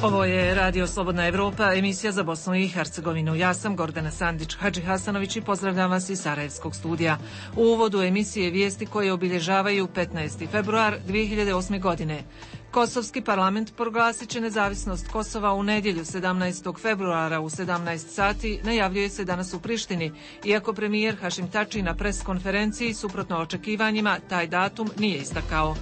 Ovo je Radio Slobodna Evropa, emisija za Bosnu i Hercegovinu. Ja sam Gordana Sandić-Hadžihasanović i pozdravljam vas iz Sarajevskog studija. U uvodu emisije vijesti koje obilježavaju 15. februar 2008. godine. Kosovski parlament proglasit će nezavisnost Kosova u nedjelju 17. februara u 17 sati, najavljuje se danas u Prištini, iako premijer Hašim Tači na pres konferenciji suprotno očekivanjima taj datum nije istakao.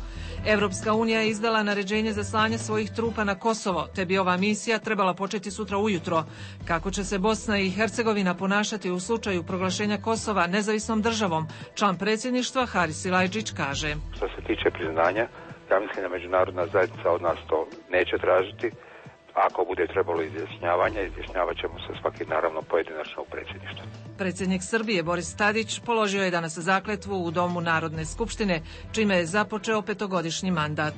Evropska unija je izdala naređenje za slanje svojih trupa na Kosovo, te bi ova misija trebala početi sutra ujutro. Kako će se Bosna i Hercegovina ponašati u slučaju proglašenja Kosova nezavisnom državom, član predsjedništva Haris Silajdžić kaže. Što se tiče priznanja, ja mislim da međunarodna zajednica od nas to neće tražiti. Ako bude trebalo izjašnjavat ćemo se svaki naravno pojedinačno u predsjedništvu. Predsjednik Srbije Boris Tadić položio je danas zakletvu u Domu Narodne skupštine, čime je započeo 5-godišnji mandat.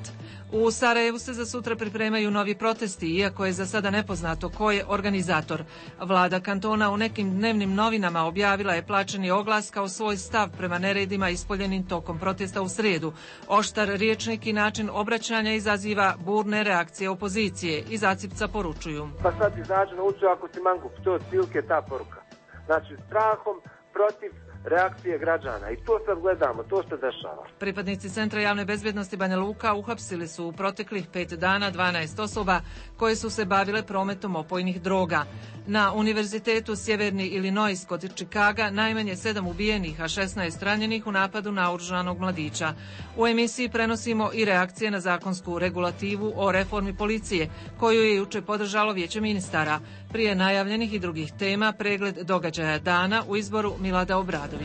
U Sarajevu se za sutra pripremaju novi protesti, iako je za sada nepoznato ko je organizator. Vlada kantona u nekim dnevnim novinama objavila je plaćeni oglas kao svoj stav prema neredima ispoljenim tokom protesta u srijedu. Oštar riječnik i način obraćanja izaziva burne reakcije opozicije i Zacipca poručuju. Pa sad izađu na ulicu ako ti mangup, to je otprilike ta poruka. Znači strahom protiv reakcije građana i to sad gledamo, to se dešava. Pripadnici Centra javne bezbjednosti Banja Luka uhapsili su u proteklih 5 dana 12 osoba koje su se bavile prometom opojnih droga. Na Univerzitetu Sjeverni Illinois kod Čikaga najmanje 7 ubijenih, a 16 ranjenih u napadu na oružanog mladića. U emisiji prenosimo i reakcije na zakonsku regulativu o reformi policije, koju je juče podržalo Vijeće ministara. Prije najavljenih i drugih tema, pregled događaja dana u izboru Milada Obradovića.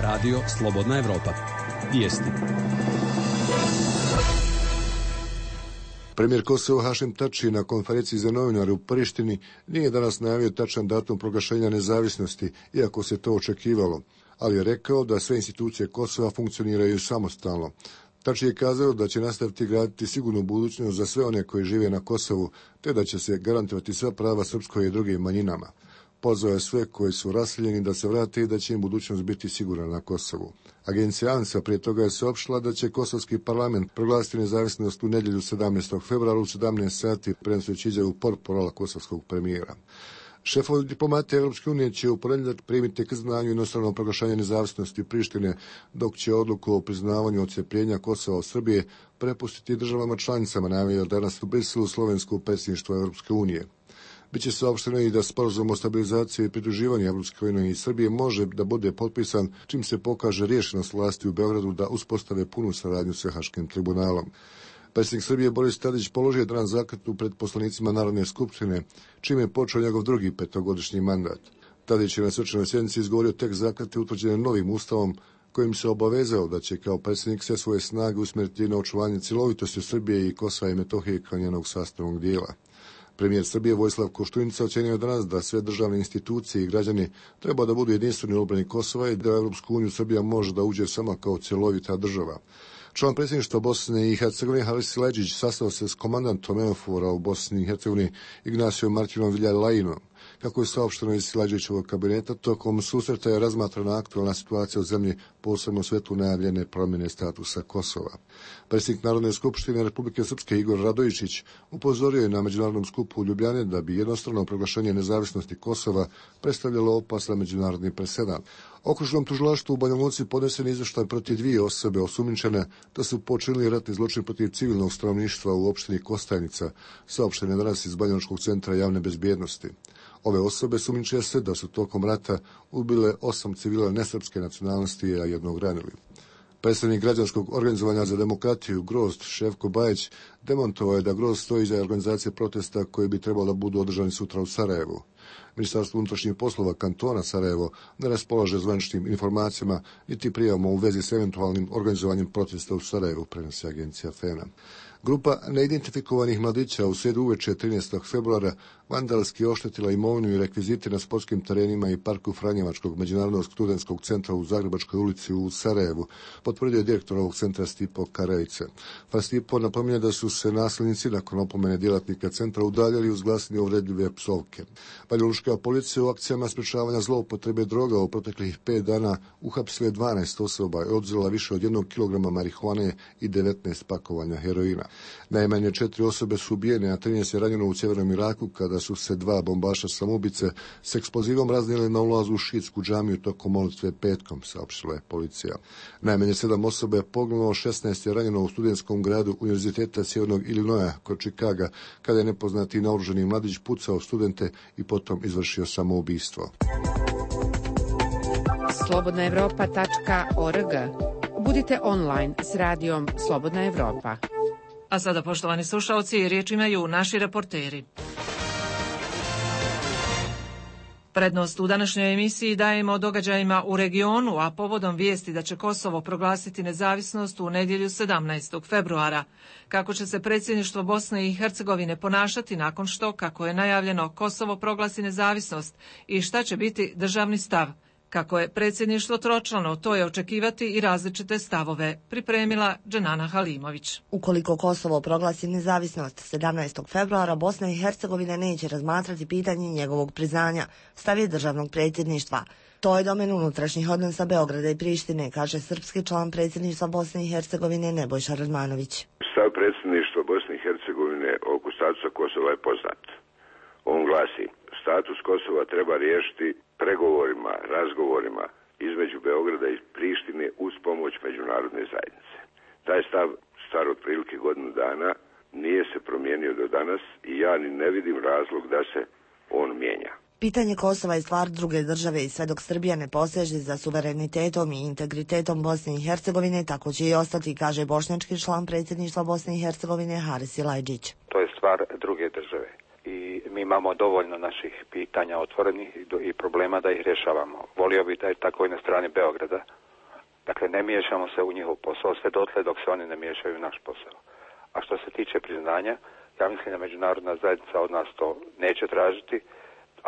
Radio Slobodna Evropa. Vijesti. Premijer Kosova Hašim Tači na konferenciji za novinare u Prištini nije danas najavio tačan datum proglašenja nezavisnosti, iako se to očekivalo, ali je rekao da sve institucije Kosova funkcioniraju samostalno. Tači je kazao da će nastaviti graditi sigurnu budućnost za sve one koji žive na Kosovu, te da će se garantovati sva prava srpskoj i drugim manjinama. Pozvao je sve koji su raseljeni da se vrate i da će im budućnost biti sigurna na Kosovu. Agencija ANSA prije toga je saopštila da će Kosovski parlament proglasiti nezavisnost u nedjelju 17. februara u 17 sati, prenoseći izjavu portparala kosovskog premijera. Šefovi diplomate Europske unije će u ponedjeljak primiti k znanju inostrano proglašenje nezavisnosti Prištine, dok će odluku o priznavanju odcepljenja Kosova od Srbije prepustiti državama članicama, najavio danas u Briselu slovensko predsjedništvo Europske unije. Biće saopšteno i da sporazum o stabilizaciji i pridruživanju Evropske unije i Srbije može da bude potpisan čim se pokaže rješenost vlasti u Beogradu da uspostave punu saradnju sa Haškim tribunalom. Predsjednik Srbije Boris Tadić položio danas zakletvu pred poslanicima Narodne skupštine, čim je počeo njegov drugi 5-godišnji mandat. Tadić je na svečanoj sjednici izgovorio tekst zakletve utvrđene novim ustavom, kojim se obavezao da će kao predsjednik sve svoje snage usmjeriti na očuvanje cjelovitosti Srbije i Kosova i Metohije kao njenog sastavnog dijela. Premijer Srbije Vojislav Koštunica ocenio danas da sve državne institucije i građani treba da budu jedinstveni u obrani Kosova i da u Europsku uniju Srbija može da uđe samo kao cjelovita država. Član predsjedništva Bosne i Hercegovine Haris Silajdžić sastao se s komandantom EUNAVFOR u Bosni i Hercegovini Ignacijom Martinom Viljalajinom. Kako je saopšteno iz Silajdžićevog kabineta, tokom susreta je razmatrana aktualna situacija u zemlji, posebno u svetu najavljene promjene statusa Kosova. Predsjednik Narodne skupštine Republike Srpske Igor Radojičić upozorio je na međunarodnom skupu u Ljubljani da bi jednostrano proglašenje nezavisnosti Kosova predstavljalo opasan međunarodni presedan. Okružnom tužilaštvu u Banja Luci podnesen izvještaj protiv 2 osobe osumnjičene da su počinili ratni zločin protiv civilnog stanovništva u opštini Kostajnica, saopštene danas iz Banjalučkog centra javne bezbjednosti. Ove osobe sumnjiče se da su tokom rata ubile 8 civila nesrpske nacionalnosti, a 1 ranili. Predstavnik građanskog organizovanja za demokratiju Grozd Ševko Bajić demontovao je da Grozd stoji iza organizacije protesta koji bi trebalo da budu održani sutra u Sarajevu. Ministarstvo unutrašnjih poslova kantona Sarajevo ne raspolaže zvaničnim informacijama niti prijavama u vezi s eventualnim organizovanjem protesta u Sarajevu, prenosi agencija FENA. Grupa neidentifikovanih mladića u srijedu uveče 13. februara vandalski oštetila imovinu i rekvizite na sportskim terenima i parku Franjevačkog međunarodnog studentskog centra u Zagrebačkoj ulici u Sarajevu, potvrdio je direktor ovog centra Stipo Karajice. Stipo napominje da su se nasilnici nakon opomene djelatnika centra udaljali uz glasine uvredljive psovke. Banjalučka policija u akcijama sprečavanja zloupotrebe droga u proteklih 5 dana uhapsila 12 osoba i oduzela više od 1 kilograma marihuane i 19 pakovanja heroina. Najmanje 4 osobe su ubijene, a 13 je ranjeno u sjevernom Iraku kada su se 2 bombaša samoubice s eksplozivom raznijeli na ulazu u šiitsku džamiju tokom molitve petkom, saopštila je policija. Najmanje 7 osoba je poginulo, 16 je ranjeno u studentskom gradu Univerziteta Sjevernog Illinoisa kod Chicaga kada je nepoznati naoružani mladić pucao studente i potom izvršio samoubistvo. Slobodnaevropa.org. Budite online s radijom Slobodna Evropa. A sada, poštovani slušalci, riječ imaju naši reporteri. Prednost u današnjoj emisiji dajemo događajima u regionu, a povodom vijesti da će Kosovo proglasiti nezavisnost u nedjelju 17. februara. Kako će se predsjedništvo Bosne i Hercegovine ponašati nakon što, kako je najavljeno, Kosovo proglasi nezavisnost i šta će biti državni stav. Kako je predsjedništvo tročlano, to je očekivati i različite stavove, pripremila Dženana Halimović. Ukoliko Kosovo proglasi nezavisnost 17. februara, Bosna i Hercegovina neće razmatrati pitanje njegovog priznanja, stav je državnog predsjedništva. To je domen unutrašnjih odnosa Beograda i Prištine, kaže srpski član predsjedništva Bosne i Hercegovine Nebojša Radmanović. Stav predsjedništva Bosne i Hercegovine oko statusa Kosova je poznat. On glasi: status Kosova treba riješiti pregovorima, razgovorima između Beograda i Prištine uz pomoć međunarodne zajednice. Taj stav, star otprilike godinu dana, nije se promijenio do danas i ja ni ne vidim razlog da se on mijenja. Pitanje Kosova je stvar druge države i sve dok Srbija ne poseže za suverenitetom i integritetom Bosne i Hercegovine, tako će i ostati, kaže bošnjački član predsjedništva Bosne i Hercegovine Haris Ilajđić. To je stvar druge države. I mi imamo dovoljno naših pitanja otvorenih i problema da ih rješavamo. Volio bih da je tako i na strani Beograda. Dakle, ne miješamo se u njihov posao sve dotle dok se oni ne miješaju u naš posao. A što se tiče priznanja, ja mislim da međunarodna zajednica od nas to neće tražiti.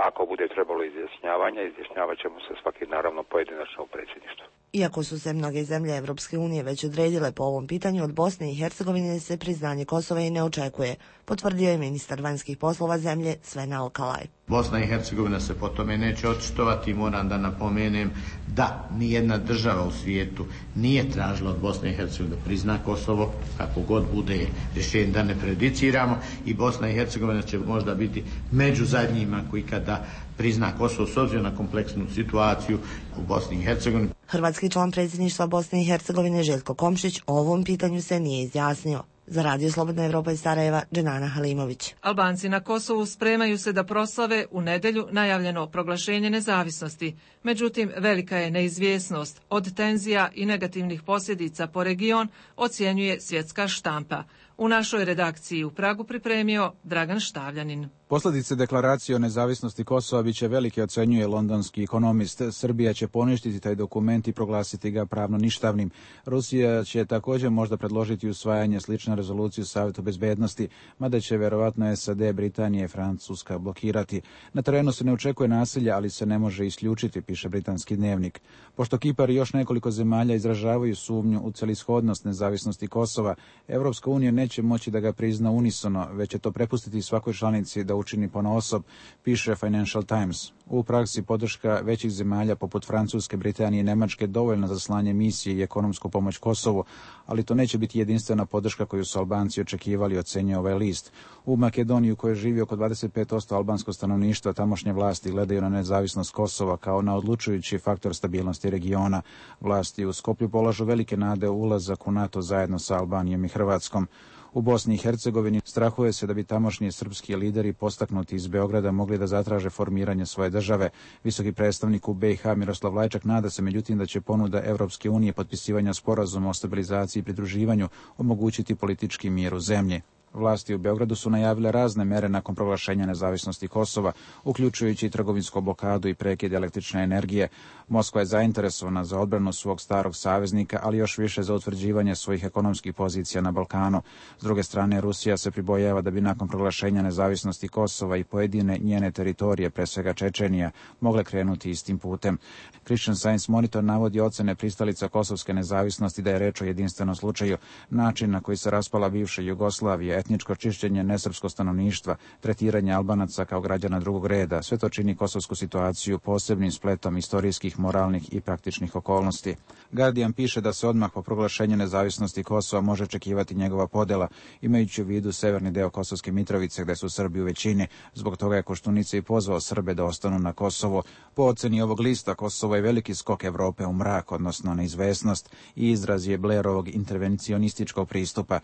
Ako bude trebalo izjašnjavat ćemo se svaki naravno pojedinačno u predsjedništvu. Iako su se mnoge zemlje Evropske unije već odredile po ovom pitanju, od Bosne i Hercegovine se priznanje Kosova i ne očekuje, potvrdio je ministar vanjskih poslova zemlje Sven Alkalaj. Bosna i Hercegovina se po tome neće očitovati. Moram da napomenem da nijedna država u svijetu nije tražila od Bosne i Hercegovine da prizna Kosovo, kako god bude rješenje, da ne prejudiciramo, i Bosna i Hercegovina će možda biti među zadnjima koji kada prizna Kosovo s obzirom na kompleksnu situaciju u Bosni i Hercegovini. Hrvatski član predsjedništva Bosne i Hercegovine Željko Komšić o ovom pitanju se nije izjasnio. Za Radio Slobodna Evropa iz Sarajeva, Dženana Halimović. Albanci na Kosovu spremaju se da proslave u nedjelju najavljeno proglašenje nezavisnosti. Međutim, velika je neizvjesnost. Od tenzija i negativnih posljedica po region ocjenjuje svjetska štampa. U našoj redakciji u Pragu pripremio Dragan Štavljanin. Posljedice deklaracije o nezavisnosti Kosova biće velike, ocjenjuje londonski ekonomist. Srbija će poništiti taj dokument i proglasiti ga pravno ništavnim. Rusija će također možda predložiti usvajanje slične rezolucije u Savjetu bezbednosti, mada će vjerovatno SAD, Britanija i Francuska blokirati. Na terenu se ne očekuje nasilja, ali se ne može isključiti, piše britanski dnevnik. Pošto Kipar i još nekoliko zemalja izražavaju sumnju u celishodnost nezavisnosti Kosova, Evropska unija neće moći da ga prizna unisono, već će to prepustiti svakoj članici da učini ponaosob, piše Financial Times. U praksi podrška većih zemalja poput Francuske, Britanije i Nemačke dovoljna za slanje misije i ekonomsku pomoć Kosovu, ali to neće biti jedinstvena podrška koju su Albanci očekivali, ocenjuje ovaj list. U Makedoniji, u kojoj živi oko 25% albanskog stanovništva, tamošnje vlasti gledaju na nezavisnost Kosova kao na odlučujući faktor stabilnosti regiona. Vlasti u Skoplju polažu velike nade u ulazak u NATO zajedno sa Albanijom i Hrvatskom. U Bosni i Hercegovini strahuje se da bi tamošnji srpski lideri postaknuti iz Beograda mogli da zatraže formiranje svoje države. Visoki predstavnik u BiH Miroslav Lajčak nada se međutim da će ponuda Evropske unije potpisivanja sporazuma o stabilizaciji i pridruživanju omogućiti politički mir u zemlji. Vlasti u Beogradu su najavile razne mere nakon proglašenja nezavisnosti Kosova, uključujući i trgovinsku blokadu i prekid električne energije. Moskva je zainteresovana za odbranu svog starog saveznika, ali još više za utvrđivanje svojih ekonomskih pozicija na Balkanu. S druge strane, Rusija se pribojava da bi nakon proglašenja nezavisnosti Kosova i pojedine njene teritorije, pre svega Čečenija, mogle krenuti istim putem. Christian Science Monitor navodi ocene pristalica kosovske nezavisnosti da je reč o jedinstvenom slučaju. Način na koji se raspala bivša Jugoslavija, etničko čišćenje nesrpskog stanovništva, tretiranje Albanaca kao građana drugog reda. Sve to čini kosovsku situaciju posebnim spletom istorijskih, moralnih i praktičnih okolnosti. Guardian piše da se odmah po proglašenju nezavisnosti Kosova može očekivati njegova podela, imajući u vidu severni deo Kosovske Mitrovice gde su Srbi u većini. Zbog toga je Koštunica i pozvao Srbe da ostanu na Kosovo. Po oceni ovog lista, Kosovo je veliki skok Evrope u mrak, odnosno neizvesnost, i izraz je Blairovog intervencionističkog pristupa.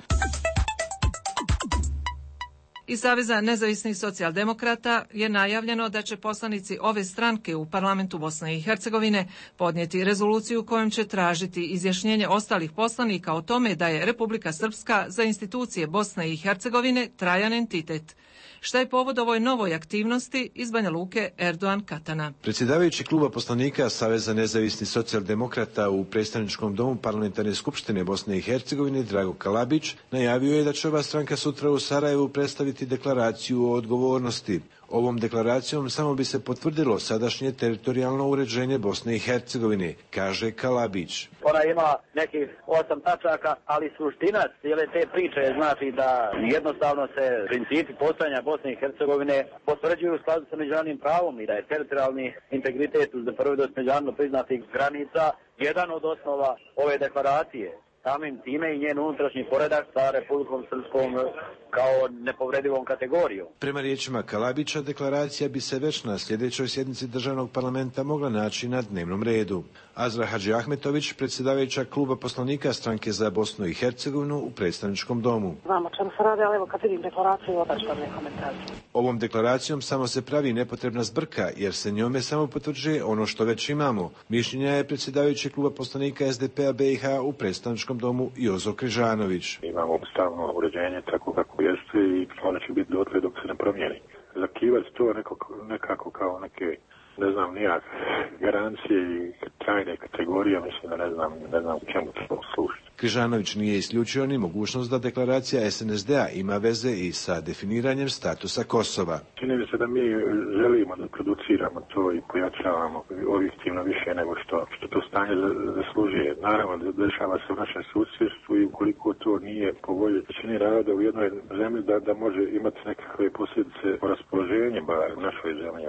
Iz Saveza nezavisnih socijaldemokrata je najavljeno da će poslanici ove stranke u parlamentu Bosne i Hercegovine podnijeti rezoluciju kojom će tražiti izjašnjenje ostalih poslanika o tome da je Republika Srpska za institucije Bosne i Hercegovine trajan entitet. Šta je povod ovoj novoj aktivnosti? Iz Banja Luke, Erdogan Katana. Predsjedavajući kluba poslanika Saveza nezavisnih socijaldemokrata u predstavničkom domu Parlamentarne skupštine Bosne i Hercegovine, Drago Kalabić, najavio je da će ova stranka sutra u Sarajevu predstaviti deklaraciju o odgovornosti. Ovom deklaracijom samo bi se potvrdilo sadašnje teritorijalno uređenje Bosne i Hercegovine, kaže Kalabić. Ona ima nekih 8 tačaka, ali suština cijele te priče znači da jednostavno se principi postojanja Bosne i Hercegovine potvrđuju u skladu sa međunarodnim pravom i da je teritorijalni integritet uz nepovredivost međunarodno priznatih granica jedan od osnova ove deklaracije. Samim time i njen unutrašnji poredak sa Republikom Srpskom kao nepovredivom kategorijom. Prema riječima Kalabića, deklaracija bi se već na sljedećoj sjednici državnog parlamenta mogla naći na dnevnom redu. Azra Hadži Ahmetović, predsjedavajuća kluba poslanika stranke za Bosnu i Hercegovinu u predstavničkom domu. Znam o čemu se radi, ali evo kad vidim deklaraciju, odaštam ne komentar. Ovom deklaracijom samo se pravi nepotrebna zbrka, jer se njome samo potvrđuje ono što već imamo. Mišljenja je predsjedavajući kluba poslanika SDP-a BiH u predstavničkom domu Jozo Križanović. Imamo ustavno uređenje tako kako jeste i ono će biti dotle dok se ne promijeni. Zakivati to nekako kao neke, ne znam, nijak garancije i trajne kategorije, mislim da ne znam čemu to služi. Križanović nije isključio ni mogućnost da deklaracija SNSD-a ima veze i sa definiranjem statusa Kosova. Čini mi se da mi želimo da produciramo to i pojačavamo objektivno više nego što to stanje zaslužuje. Naravno, dešava se u našem susjedstvu i ukoliko to nije po volji većine naroda u jednoj zemlji da može imati nekakve posljedice po raspoloženju bar u našoj zemlji.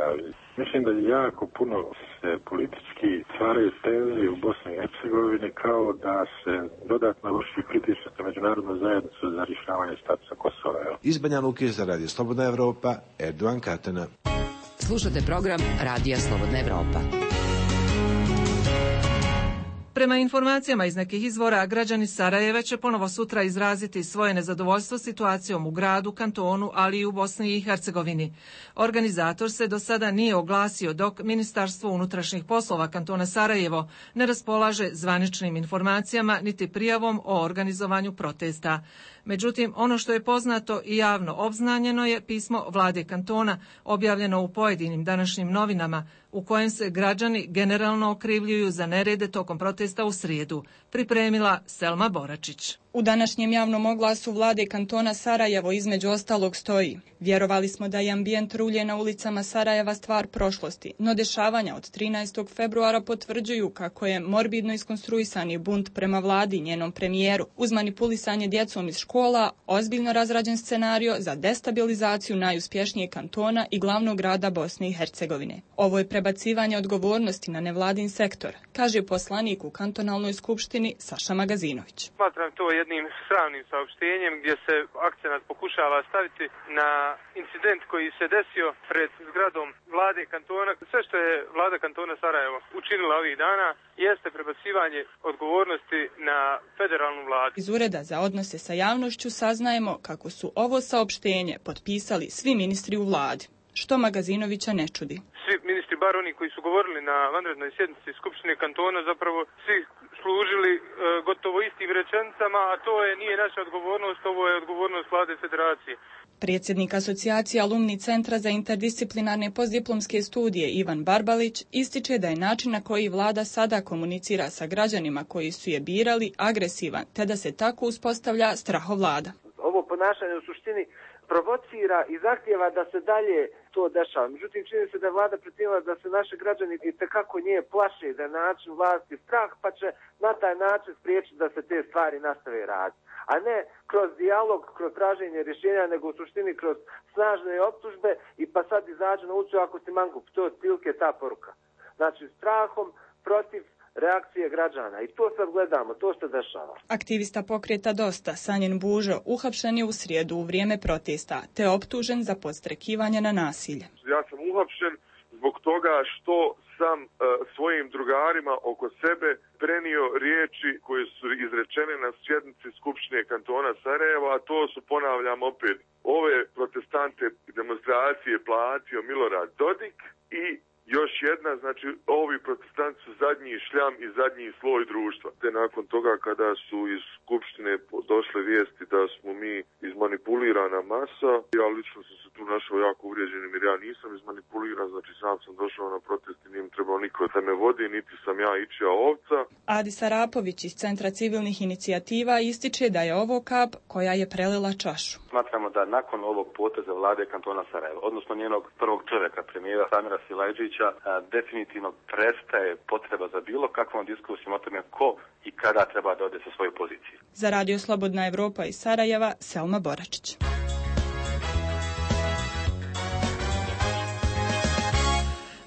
Mislim da jako puno se politički stvaraju tenzije u Bosni i Hercegovini kao da se dodatno vrši pritisak na međunarodnu zajednicu za rješavanje statusa Kosova. Iz Banja Luke za Radio Slobodna Evropa, Erdogan Katana. Slušate program Radija Slobodna Evropa. Prema informacijama iz nekih izvora, građani Sarajeva će ponovo sutra izraziti svoje nezadovoljstvo situacijom u gradu, kantonu, ali i u Bosni i Hercegovini. Organizator se do sada nije oglasio, dok Ministarstvo unutrašnjih poslova kantona Sarajevo ne raspolaže zvaničnim informacijama niti prijavom o organizovanju protesta. Međutim, ono što je poznato i javno obznanjeno je pismo vlade kantona objavljeno u pojedinim današnjim novinama, u kojem se građani generalno okrivljuju za nerede tokom protesta u srijedu, pripremila Selma Boračić. U današnjem javnom oglasu vlade kantona Sarajevo između ostalog stoji: vjerovali smo da je ambijent rulje na ulicama Sarajeva stvar prošlosti, no dešavanja od 13. februara potvrđuju kako je morbidno iskonstruisani bunt prema vladi i njenom premijeru, uz manipulisanje djecom iz škola, ozbiljno razrađen scenario za destabilizaciju najuspješnijeg kantona i glavnog grada Bosne i Hercegovine. Ovo je prebacivanje odgovornosti na nevladin sektor, kaže poslanik u kantonalnoj skupštini Saša Magazinović. Smatram to jednim sramnim saopštenjem gdje se akcenat pokušava staviti na incident koji se desio pred zgradom vlade kantona. Sve što je vlada kantona Sarajevo učinila ovih dana jeste prebacivanje odgovornosti na federalnu vladu. Iz Ureda za odnose sa javnošću saznajemo kako su ovo saopštenje potpisali svi ministri u vladi, što Magazinovića ne čudi. Svi ministri, bar oni koji su govorili na vanrednoj sjednici Skupštine kantona, zapravo svi služili gotovo istim rečenicama, a to nije naša odgovornost, ovo je odgovornost vlade federacije. Predsjednik asocijacije Alumni centra za interdisciplinarne postdiplomske studije Ivan Barbalić ističe da je način na koji vlada sada komunicira sa građanima koji su je birali agresivan, te da se tako uspostavlja strahovlada. Ovo ponašanje u suštini provocira i zahtjeva da se dalje to dešava. Međutim, čini se da je vlada pretjerala da se naši građani itekako nje plaše, da je način vlasti strah, pa će na taj način spriječiti da se te stvari nastave raditi. a ne kroz dijalog, kroz traženje rješenja, nego u suštini kroz snažne optužbe i pa sad izađe na ulicu ako si mangup. To je otprilike ta poruka. Znači, strahom protiv reakcije građana. I to sad gledamo, to se dešava. Aktivista pokreta Dosta, Sanjin Bužo, uhapšen je u srijedu u vrijeme protesta, te optužen za podstrekivanje na nasilje. Ja sam uhapšen zbog toga što sam svojim drugarima oko sebe prenio riječi koje su izrečene na sjednici Skupštine kantona Sarajeva, a to su, ponavljam opet, ove protestante demonstracije platio Milorad Dodik i još jedna, znači ovi protestanti su zadnji šljam i zadnji sloj društva. Te nakon toga kada su iz Skupštine došle vijesti da smo mi izmanipulirana masa, ja lično sam se tu našao jako uvrijeđenim jer ja nisam izmanipuliran, znači sam došao na protest i nije mi trebao niko da me vodi, niti sam ja ičija ovca. Adi Sarapović iz Centra civilnih inicijativa ističe da je ovo kap koja je prelila čašu. Smatramo da nakon ovog poteza vlade kantona Sarajeva, odnosno njenog prvog čovjeka, premijera Samira Silajđića, definitivno prestaje potreba za bilo kakvom diskusijom o tome ko i kada treba da ode sa svoje pozicije. Za Radio Slobodna Evropa iz Sarajeva, Selma Boračić.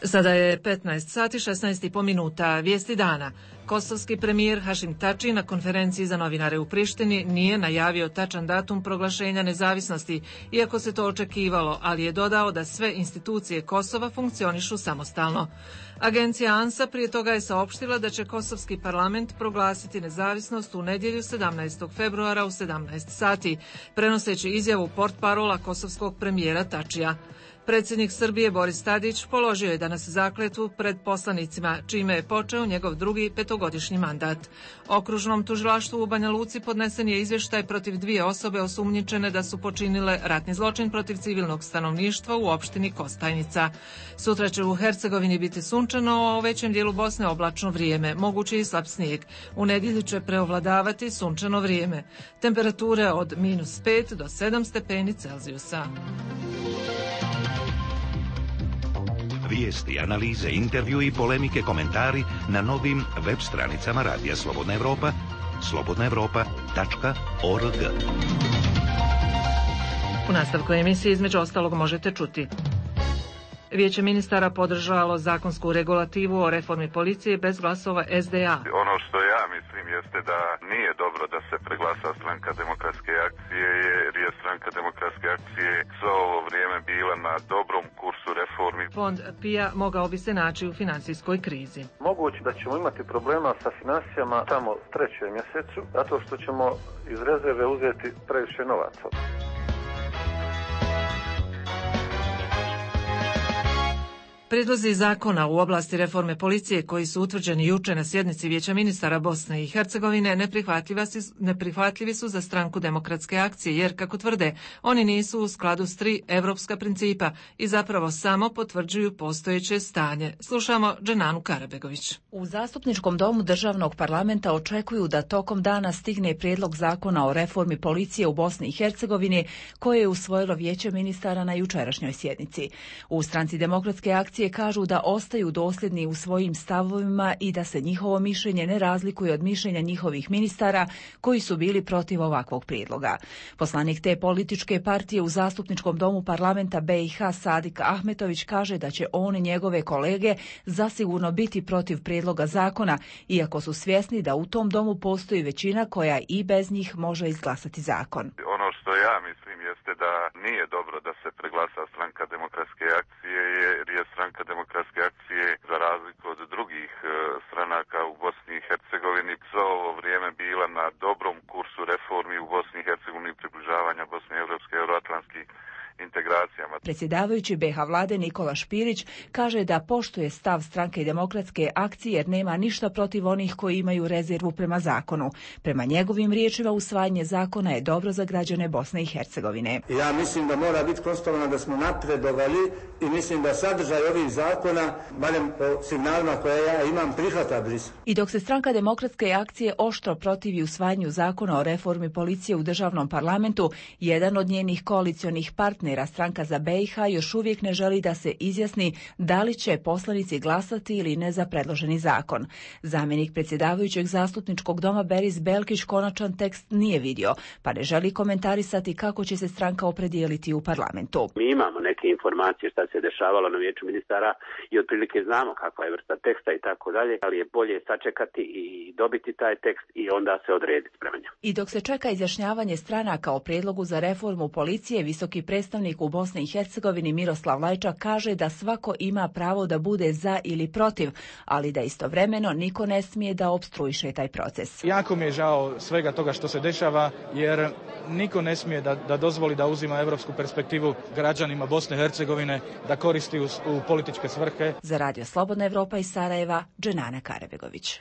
Sada je 15 sati 16,5 minuta. Vijesti dana. Kosovski premijer Hašim Tači na konferenciji za novinare u Prištini nije najavio tačan datum proglašenja nezavisnosti, iako se to očekivalo, ali je dodao da sve institucije Kosova funkcionišu samostalno. Agencija ANSA prije toga je saopštila da će Kosovski parlament proglasiti nezavisnost u nedjelju 17. februara u 17 sati, prenoseći izjavu portparola kosovskog premijera Tačija. Predsjednik Srbije Boris Tadić položio je danas zakletvu pred poslanicima, čime je počeo njegov drugi petogodišnji mandat. Okružnom tužilaštvu u Banja Luci podnesen je izvještaj protiv 2 osobe osumnjičene da su počinile ratni zločin protiv civilnog stanovništva u opštini Kostajnica. Sutra će u Hercegovini biti sunčano, a u većem dijelu Bosne oblačno vrijeme, mogući i slab snijeg. U nedjelju će preovladavati sunčano vrijeme. Temperature od -5 do 7 stepeni Celzijusa. Vijesti, analize, intervju i polemike, komentari na novim web stranicama Radija Slobodna Evropa, slobodnaevropa.org. U nastavku emisije između ostalog možete čuti: Vijeće ministara podržalo zakonsku regulativu o reformi policije bez glasova SDA. Ono što ja mislim jeste da nije dobro da se preglasa Stranka demokratske akcije, jer je Stranka demokratske akcije svo ovo vrijeme bila na dobrom kursu reformi. Fond PIA mogao bi se naći u financijskoj krizi. Moguće da ćemo imati problema sa financijama tamo u 3. mjesecu, zato što ćemo iz rezerve uzeti previše novaca. Prijedlozi zakona u oblasti reforme policije koji su utvrđeni juče na sjednici Vijeća ministara Bosne i Hercegovine neprihvatljivi su za Stranku demokratske akcije, jer, kako tvrde, oni nisu u skladu s 3 evropska principa i zapravo samo potvrđuju postojeće stanje. Slušamo Dženanu Karabegović. U Zastupničkom domu državnog parlamenta očekuju da tokom dana stigne prijedlog zakona o reformi policije u Bosni i Hercegovini koje je usvojilo Vijeće ministara na jučerašnjoj sjednici. U Stranci demokratske akcije kažu da ostaju dosljedni u svojim stavovima i da se njihovo mišljenje ne razlikuje od mišljenja njihovih ministara koji su bili protiv ovakvog prijedloga. Poslanik te političke partije u Zastupničkom domu parlamenta BiH Sadik Ahmetović kaže da će on i njegove kolege zasigurno biti protiv prijedloga zakona, iako su svjesni da u tom domu postoji većina koja i bez njih može izglasati zakon. Ono što ja mislim jeste da nije dobro da se preglasa Stranka demokratske akcije, jer je Stranka demokratske akcije, za razliku od drugih stranaka u Bosni i Hercegovini, svo ovo vrijeme bila na dobrom kursu reformi u Bosni i Hercegovini, približavanja Bosne i Evropske euroatlantskih integracijama. Predsjedavajući BiH vlade Nikola Špirić kaže da poštuje stav Stranke demokratske akcije jer nema ništa protiv onih koji imaju rezervu prema zakonu. Prema njegovim riječima, usvajanje zakona je dobro za građane Bosne i Hercegovine. Ja mislim da mora biti konstatovano da smo napredovali i mislim da sadržaj ovih zakona, barem po signalima koje ja imam, prihvata Brisel. I dok se Stranka demokratske akcije oštro protivi usvajanju zakona o reformi policije u državnom parlamentu, jedan od njenih koalicionih partnera partnera Stranka za BiH još uvijek ne želi da se izjasni da li će poslanici glasati ili ne za predloženi zakon. Zamjenik predsjedavajućeg zastupničkog doma Beris Belkić konačan tekst nije vidio, pa ne želi komentarisati kako će se stranka opredijeliti u parlamentu. Mi imamo neke informacije šta se dešavalo na vijeću ministara i otprilike znamo kakva je vrsta teksta i tako dalje, ali je bolje sačekati i dobiti taj tekst i onda se odrediti prema njemu. I dok se čeka izjašnjavanje stranaka o prijedlogu za reformu policije, visoki predstavnik u Bosni i Hercegovini Miroslav Lajčak kaže da svako ima pravo da bude za ili protiv, ali da istovremeno niko ne smije da opstruiše taj proces. Jako mi je žao svega toga što se dešava, jer niko ne smije da dozvoli da uzima europsku perspektivu građanima Bosne i Hercegovine, da koristi u političke svrhe. Za Radio Slobodna Evropa iz Sarajeva, Dženana Karabegović.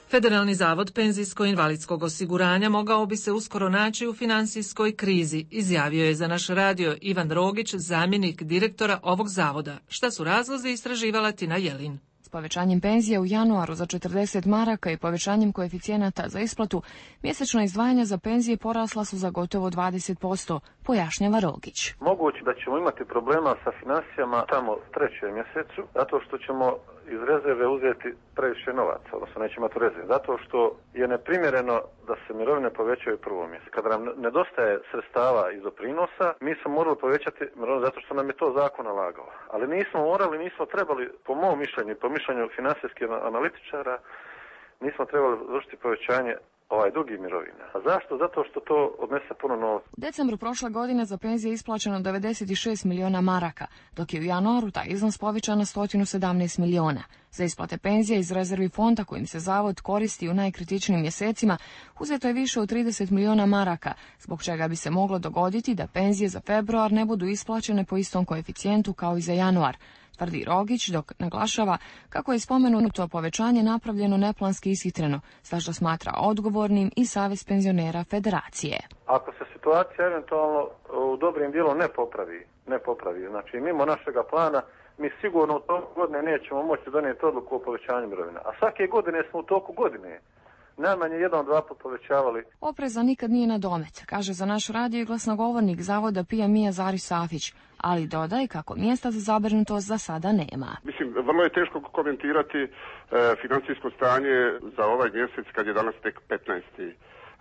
Federalni zavod penzijsko-invalidskog osiguranja mogao bi se uskoro naći u finansijskoj krizi, izjavio je za naš radio Ivan Rogić, zamjenik direktora ovog zavoda. Šta su razlozi, istraživala Tina Jelin. S povećanjem penzija u januaru za 40 maraka i povećanjem koeficijenata za isplatu, mjesečno izdvajanja za penzije porasla su za gotovo 20%, pojašnjava Rogić. Moguće da ćemo imati problema sa financijama tamo u 3. mjesecu, zato što ćemo iz rezerve uzeti previše novaca, odnosno nećemo imati rezerve, zato što je neprimjereno da se mirovine povećaju u 1. mjesecu. Kada nam nedostaje sredstava iz doprinosa, mi smo morali povećati mirovine zato što nam je to zakon nalagao. Ali nismo morali, nismo trebali, po mom mišljenju i po mišljenju financijskih analitičara, nismo trebali vršiti povećanje drugih mirovina. A zašto? Zato što to odnese puno novca. U decembru prošle godine za penzije isplaćeno 96 miliona maraka, dok je u januaru taj iznos povećan na 117 miliona. Za isplate penzija iz rezervi fonda kojim se zavod koristi u najkritičnijim mjesecima uzeto je više od 30 miliona maraka, zbog čega bi se moglo dogoditi da penzije za februar ne budu isplaćene po istom koeficijentu kao i za januar, tvrdi Rogić, dok naglašava kako je spomenuto povećanje napravljeno neplanski ishitreno, za što smatra odgovornim i Savez penzionera Federacije. Ako se situacija eventualno u dobrim dijelom ne popravi, znači mimo našega plana, mi sigurno u toku godine nećemo moći donijeti odluku o povećanju mirovina. A svake godine smo u toku godine najmanje 1-2 put povećavali. Opreza nikad nije na domet, kaže za naš radio i glasnogovornik zavoda PMI Zari Safić, ali dodaj kako mjesta za zabrinutost za sada nema. Mislim, vrlo je teško komentirati financijsko stanje za ovaj mjesec kad je danas tek 15.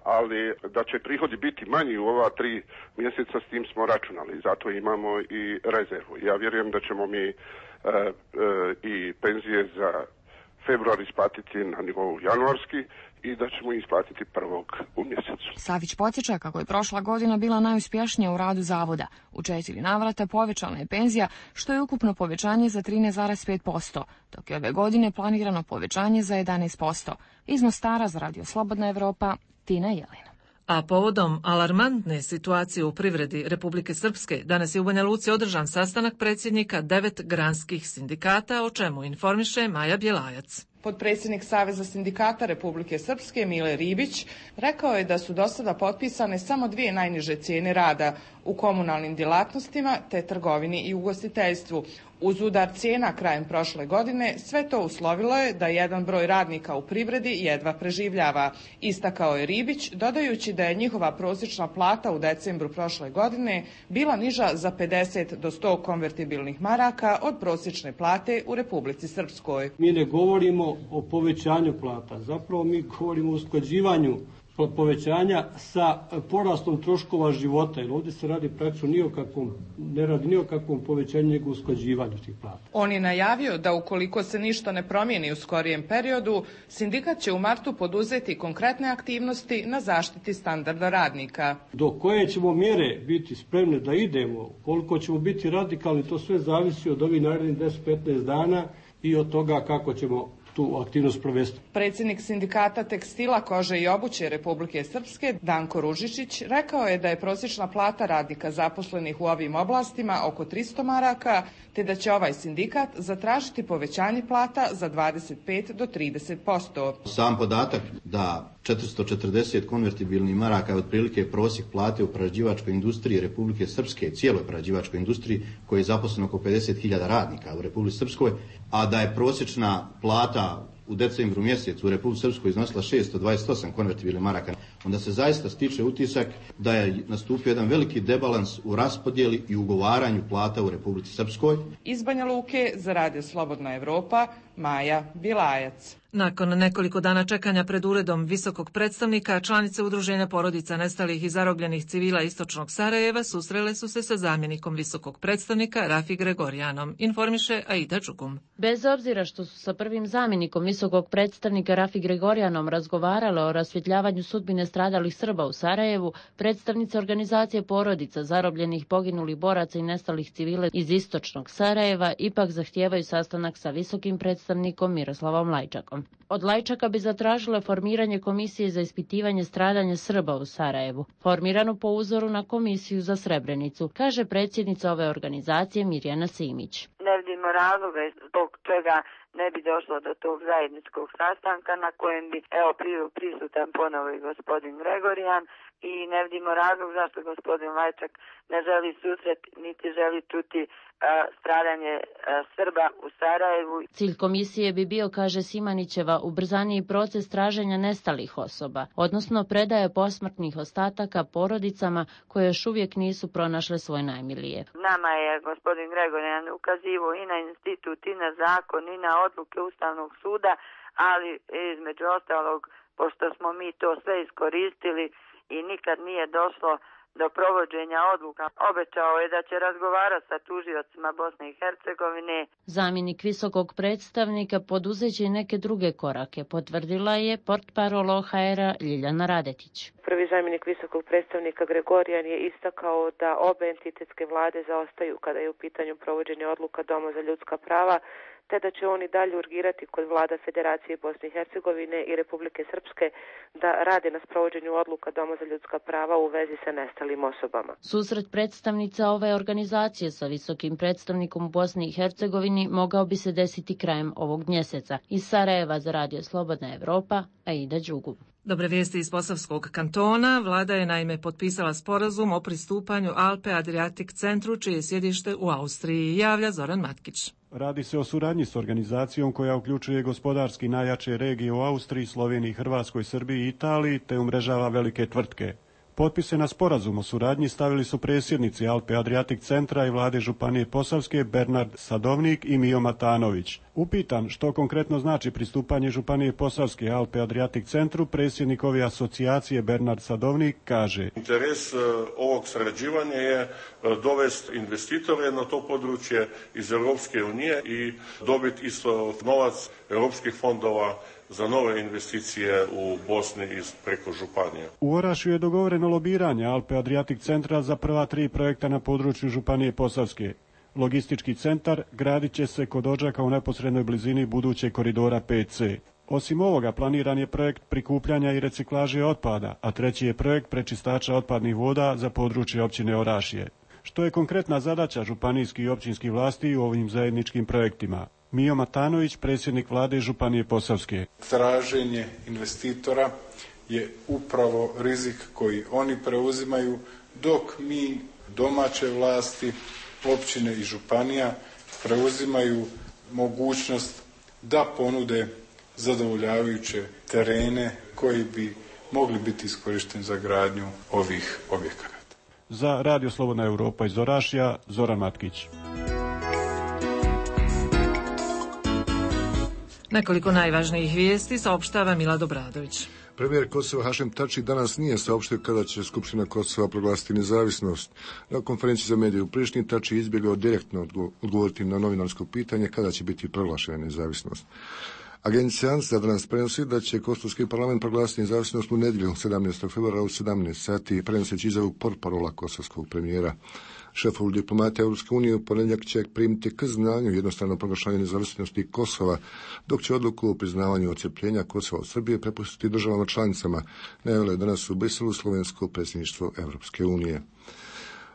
Ali da će prihodi biti manji u ova 3 mjeseca, s tim smo računali, zato imamo i rezervu. Ja vjerujem da ćemo mi i penzije za februar isplatiti na nivou januarski i da ćemo isplatiti 1. u mjesecu. Savić podsjeća kako je prošla godina bila najuspješnija u radu zavoda. U 4 navrata povećana je penzija, što je ukupno povećanje za 13,5%, dok je ove godine planirano povećanje za 11%. Iz Mostara za Radio Slobodna Evropa, Tina Jelina. A povodom alarmantne situacije u privredi Republike Srpske, danas je u Banja Luci održan sastanak predsjednika 9 granskih sindikata, o čemu informiše Maja Bjelajac. Potpredsjednik Saveza sindikata Republike Srpske Mile Ribić rekao je da su do sada potpisane samo 2 najniže cijene rada u komunalnim djelatnostima te trgovini i ugostiteljstvu. Uz udar cijena krajem prošle godine sve to uslovilo je da jedan broj radnika u privredi jedva preživljava. Istakao je Ribić, dodajući da je njihova prosječna plata u decembru prošle godine bila niža za 50 do 100 konvertibilnih maraka od prosječne plate u Republici Srpskoj. Mi ne govorimo o povećanju plata, zapravo mi govorimo o usklađivanju povećanja sa porastom troškova života, jer ovdje se radi praktično ne radi ni o kakvom povećanju nego usklađivanju tih plata. On je najavio da ukoliko se ništa ne promijeni u skorijem periodu, sindikat će u martu poduzeti konkretne aktivnosti na zaštiti standarda radnika. Do koje ćemo mjere biti spremne da idemo, koliko ćemo biti radikalni, to sve zavisi od ovih narednih 10-15 dana i od toga kako ćemo tu aktivnost provesti. Predsjednik sindikata tekstila, kože i obuće Republike Srpske, Danko Ružičić, rekao je da je prosječna plata radnika zaposlenih u ovim oblastima oko 300 maraka, te da će ovaj sindikat zatražiti povećanje plata za 25 do 30%. Sam podatak da 440 konvertibilnih maraka je otprilike prosjek plate u prerađivačkoj industriji Republike Srpske, cijeloj prerađivačkoj industriji, koji je zaposleno oko 50.000 radnika u Republici Srpskoj, a da je prosječna plata u decembru mjesecu u Republici Srpskoj iznosila 628 konvertibilnih maraka. onda se zaista stiče utisak da je nastupio jedan veliki debalans u raspodjeli i ugovaranju plata u Republici Srpskoj. Iz Banja Luke za Radio Slobodna Evropa, Maja Bilajac. Nakon nekoliko dana čekanja pred uredom visokog predstavnika, članice Udruženja porodica nestalih i zarobljenih civila istočnog Sarajeva susrele su se sa zamjenikom visokog predstavnika Rafi Gregorijanom, informiše Aida Đugum. Bez obzira što su sa prvim zamjenikom visokog predstavnika Rafi Gregorijanom razgovarale o rasvjetljavanju sudbine stradalih Srba u Sarajevu, predstavnice organizacije porodica zarobljenih, poginulih boraca i nestalih civila iz istočnog Sarajeva ipak zahtijevaju sastanak sa visokim predstavnikom Miroslavom Lajčakom. Od Lajčaka bi zatražile formiranje komisije za ispitivanje stradanja Srba u Sarajevu, formiranu po uzoru na komisiju za Srebrenicu, kaže predsjednica ove organizacije Mirjana Simić. Ne vidimo razloga zbog čega ne bi došlo do tog zajedničkog sastanka na kojem bi prisutan ponovo i gospodin Gregorijan i ne vidimo razlog zašto gospodin Lajčak ne želi susret niti želi čuti stradanje Srba u Sarajevu. Cilj komisije bi bio, kaže Simanićeva, ubrzaniji proces traženja nestalih osoba, odnosno predaje posmrtnih ostataka porodicama koje još uvijek nisu pronašle svoje najmilije. Nama je gospodin Gregorijan ukazivao i na institut, i na zakon, i na odluke Ustavnog suda, ali između ostalog, pošto smo mi to sve iskoristili i nikad nije došlo do provođenja odluka, obećao je da će razgovarati sa tužiocima Bosne i Hercegovine. Zamjenik visokog predstavnika poduzeće i neke druge korake, potvrdila je portparol OHR-a Ljiljana Radetić. Prvi zamjenik visokog predstavnika Gregorijan je istakao da obe entitetske vlade zaostaju kada je u pitanju provođenja odluka Doma za ljudska prava, te da će oni dalje urgirati kod vlada Federacije Bosne i Hercegovine i Republike Srpske da rade na sprovođenju odluka Doma za ljudska prava u vezi sa nestalim osobama. Susret predstavnica ove organizacije sa visokim predstavnikom u Bosni i Hercegovini mogao bi se desiti krajem ovog mjeseca. Iz Sarajeva za Radio Slobodna Evropa, Aida Đugum. Dobre vijesti iz Posavskog kantona. Vlada je naime potpisala sporazum o pristupanju Alpe Adriatic centru, čije je sjedište u Austriji, javlja Zoran Matkić. Radi se o suradnji s organizacijom koja uključuje gospodarski najjače regije u Austriji, Sloveniji, Hrvatskoj, Srbiji i Italiji, te umrežava velike tvrtke. Potpise na sporazum o suradnji stavili su predsjednici Alpe Adriatic centra i vlade Županije Posavske Bernard Sadovnik i Mijo Matanović. Upitan što konkretno znači pristupanje Županije Posavske Alpe Adriatic centru, predsjednik ove asocijacije Bernard Sadovnik kaže: Interes ovog sarađivanja je dovesti investitore na to područje iz Europske unije i dobiti isto novac europskih fondova za nove investicije u Bosni preko županije. U Orašju je dogovoreno lobiranje Alpe Adriatic centra za prva 3 projekta na području Županije Posavske. Logistički centar gradit će se kod Odžaka u neposrednoj blizini budućeg koridora 5C. Osim ovoga, planiran je projekt prikupljanja i reciklaže otpada, a treći je projekt prečistača otpadnih voda za područje općine Orašje. Što je konkretna zadaća županijskih i općinskih vlasti u ovim zajedničkim projektima? Mijo Matanović, predsjednik vlade Županije Posavske. Traženje investitora je upravo rizik koji oni preuzimaju, dok mi, domaće vlasti, općine i županija, preuzimaju mogućnost da ponude zadovoljavajuće terene koji bi mogli biti iskorišteni za gradnju ovih objekata. Za Radio Slobodna Evropa iz Orašja, Zoran Matkić. Nekoliko najvažnijih vijesti saopštava Milad Obradović. Premijer Kosova Hašem Tači danas nije saopštio kada će Skupština Kosova proglasiti nezavisnost. Na konferenciji za medije u Prištini Tači izbjegao direktno odgovoriti na novinarsko pitanje kada će biti proglašena nezavisnost. Agencija ANSA danas prenosi da će kosovski parlament proglasiti nezavisnost u nedjelju 17. februara u 17 sati, prenoseći izjavu portparola kosovskog premijera. Šefovi diplomata Europske unije u ponedjeljak će primiti k znanju jednostavno proglašavanje nezavisnosti Kosova, dok će odluku o priznavanju odcjepljenja Kosova od Srbije prepustiti državama članicama, najavilo je danas u Briselu slovensko predsjedništvo Europske unije.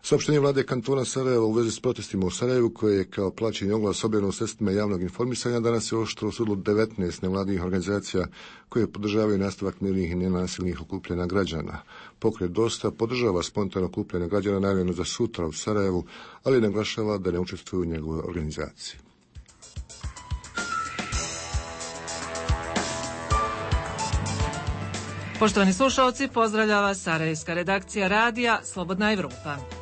Saopštenje vlade kantona Sarajeva u vezi s protestima u Sarajevu, koje je kao plaćeni oglas objavljeno u sredstvima javnog informisanja, danas je oštro osudilo 19 nevladinih organizacija koje podržavaju nastavak mirnih i nenasilnih okupljanja građana. Pokret Dosta podržava spontano okupljanje građana najavljeno za sutra u Sarajevu, ali naglašava da ne učestvuju u njegovoj organizaciji. Poštovani slušalci, pozdravlja vas sarajevska redakcija radija Slobodna Evropa.